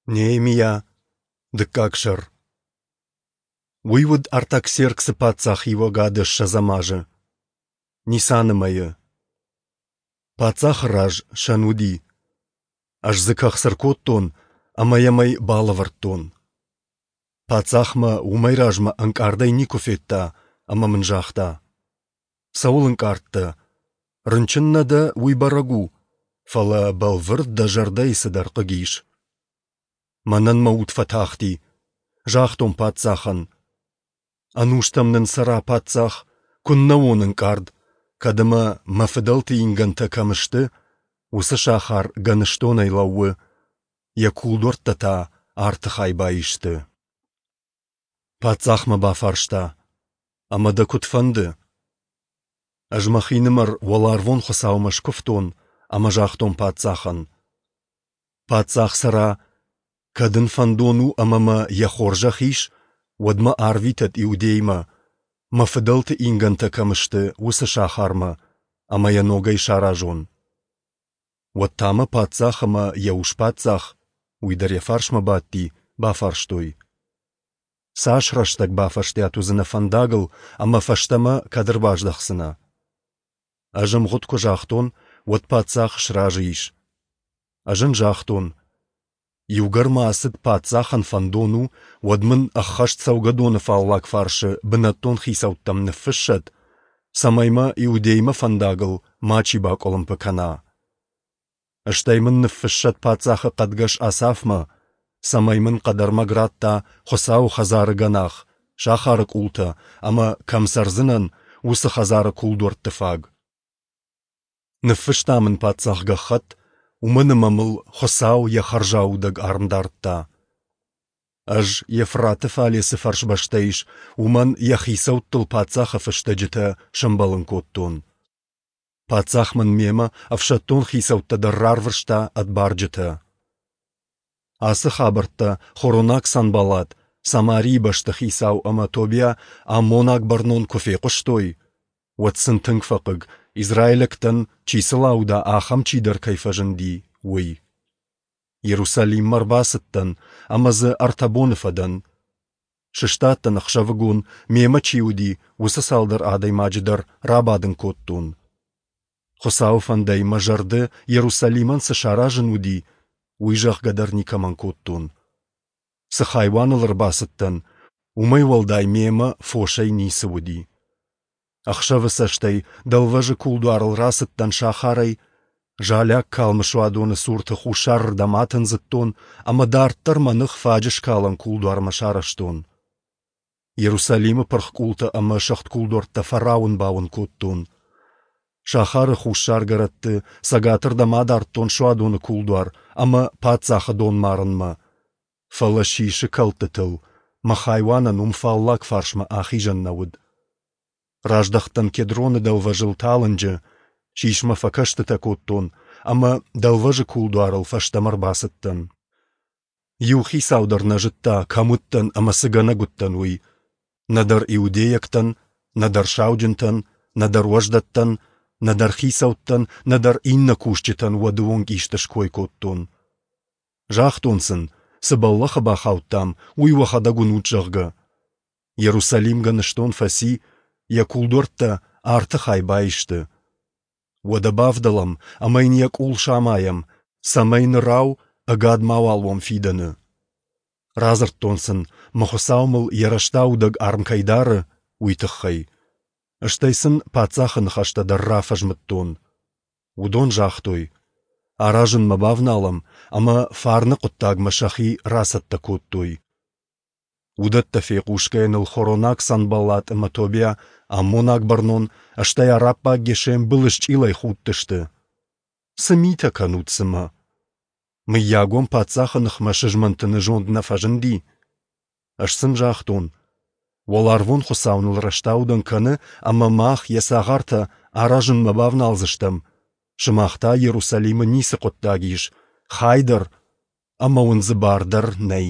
Неемиа, дыккаг сӕр. Уый уыд Артаксерксы паддзахиуӕгады ссӕдзӕм азы, Нисаны мӕйы. Паддзахы раз сӕн уыди. Ӕз дзы кӕхц ӕркодтон ӕмӕ йӕм ӕй балӕвӕрдтон. Паддзах мӕ уымӕй размӕ ӕнкъардӕй никуы федта ӕмӕ мын загъта: Цӕуыл ӕнкъард дӕ? Рынчын нӕ дӕ, уый бӕрӕг у, фӕлӕ бӕлвырд дӕ зӕрдӕйы цыдӕр хъыг ис. Мӕнӕн мӕ уд фӕтахти, загътон паддзахӕн. Ӕнустӕм нын цӕра паддзах, куыннӕ уон ӕнкъард, кӕд ӕмӕ мӕ фыдӕлты ингӕнтӕ кӕм сты, уыцы сахар гӕныстонӕй лӕууы, йӕ кулдуӕрттӕ та арты хай баисты. Паддзах мӕ бафарста: Ӕмӕ дӕ куыд фӕнды? Ӕз мӕхинымӕр уӕларвон Хуыцаумӕ скуывтон ӕмӕ загътон паддзахӕн: Паддзах цӕра, кӕд ын фӕндон у ӕмӕ мӕ йӕ хорзӕх ис, уӕд мӕ арвитӕд Иудеймӕ, мӕ фыдӕлты ингӕнтӕ кӕм сты, уыцы сахармӕ, ӕмӕ йӕ ногӕй саразон. Уӕд та мӕ паддзах ӕмӕ йӕ ус-паддзах, уый дӕр йӕ фарсмӕ бадти, бафарстой: Цас рӕстӕг бафӕстиат уыдзынӕ фӕндагыл ӕмӕ фӕстӕмӕ кӕд ӕрбаздӕхдзынӕ? Ӕз ӕмгъуыд куы загътон, уӕд паддзах сразы ис. Ӕз ын загътон: Иугӕр мӕ ацыд паддзахӕн фӕндон у, уӕд мын ӕххӕст цӕугӕдоны фаллаг фарсы бынӕттон хицӕуттӕм ныффыссӕд, цӕмӕй мӕ Иудеймӕ фӕндагыл мачи бакъуылымпы кӕна. Стӕй мын ныффыссӕд паддзахы хъӕдгӕс Асафмӕ, цӕмӕй мын хъӕдӕрмӕг радта Хуыцауы хӕдзары гӕнах, сахары къултӕ ӕмӕ, кӕм цӕрдзынӕн, уыцы хӕдзары кулдуӕртты фаг. Ныффыста мын паддзах гӕххӕтт, уымӕн ӕмӕ мыл Хуыцау йӕ хӕрзаудӕг арм дардта. Ӕз Евфраты фале цы фӕрсбӕстӕ ис, уымӕн йӕ хицӕуттыл паддзахы фыстӕджытӕ сӕмбӕлын кодтон. Паддзах мын мемӕ ӕфсӕддон хицӕуттӕ дӕр рарвыста ӕд барджытӕ. Ацы хабӕрттӕ хоронаг Санбаллат, Самарийы бӕстыхицау ӕмӕ Тобиа аммонаг бӕрнон куы фехъуыстой, уӕд сын тынг фӕхъыг, израилӕгтӕн, чи сыл ауда, ахӕм чидӕр кӕй фӕзынди, уый. Иерусалиммӕ ӕрбацыдтӕн ӕмӕ дзы ӕртӕ боны фӕдӕн. Сыстадтӕн ӕхсӕвыгон, мемӕ чи уыди, уыцы цалдӕр адӕймаджы дӕр рабадын кодтон. Хуыцауы фӕндӕй мӕ зӕрды Иерусалимӕн цы саразын уыди, уый зӕгъгӕ дӕр никӕмӕн кодтон. Цы хайуаныл ӕрбацыдтӕн, уымӕй уӕлдай мемӕ фосӕй ницы уыди. Ӕхсӕвы цӕстӕй дӕлвӕзы кулдуарыл рацыдтӕн сахарӕй, залиаг калмы суадоны цурты хуссарырдӕм атындзыдтон ӕмӕ дарддӕр мӕ ных фаджыскалӕн кулдуармӕ сарӕзтон. Иерусалимы пырх къултӕ ӕмӕ сыгъд кулдуӕрттӕ фӕрауын-бауын кодтон. Сахары хуссаргӕрӕтты цӕгатырдӕм адардтон суадоны кулдуар ӕмӕ паддзахы донмарынмӕ, фӕлӕ сисы кӕлдтытыл мӕ хайуанӕн уым фаллаг фарсмӕ ахизӕн нӕ уыд. Раздӕхтӕн Кедроны дӕлвӕзыл талынджы, сисмӕ фӕкӕстытӕ кодтон ӕмӕ дӕлвӕзы кулдуарыл фӕстӕмӕ рбацыдтӕн. Иу хицау дӕр нӕ зыдта, кӕм уыдтӕн ӕмӕ цы гӕнӕг уыдтӕн, уый. Нӕдӕр иудейӕгтӕн, нӕдӕр сауджынтӕн, нӕдӕр уӕздӕттӕн, нӕдӕр хицӕуттӕн, нӕдӕр иннӕ кусджытӕн уӕды онг исты ской кодтон. Загътон сын, цы бӕллӕхы бахаудтам, уый уӕхӕдӕг уынут, зӕгъгӕ. Иерусалим гӕныстон фӕци, йӕ кулдуӕрттӕ арты хай баисты. Уӕдӕ бавдӕлӕм ӕмӕ йын йӕ къул самайӕм, цӕмӕй нырау ӕгад мауал уӕм фидӕны. Радзырдтон сын, мӕ Хуыцау мыл йӕ рӕстаудӕг арм кӕй дары, уый тыххӕй. Стӕй сын паддзахы ныхӕстӕ дӕр рафӕзмыдтон. Уыдон загътой: аразынмӕ бавналӕм, ӕмӕ фарны хъуыддагмӕ сӕхи рацӕттӕ кодтой. Уыдӕттӕ фехъусгӕйӕ ныл хоронаг Санбаллат ӕмӕ Тобиа, аммонаг бӕрнон, стӕй араббаг Гешем былысчъилӕй худтысты. Цы митӕ кӕнут цымӕ? Мыййаг уӕм паддзахы ныхмӕ сызмӕнтыны зонд нӕ фӕзынди? Ӕз сын загътон: Уӕларвон Хуыцау ныл рӕстаудӕн кӕны ӕмӕ мах, йӕ цагъартӕ, аразынмӕ бавналдзыстӕм, сымах та Иерусалимы ницы хъуыддаг ис, хай дӕр ӕмӕ уын дзы бар дӕр нӕй.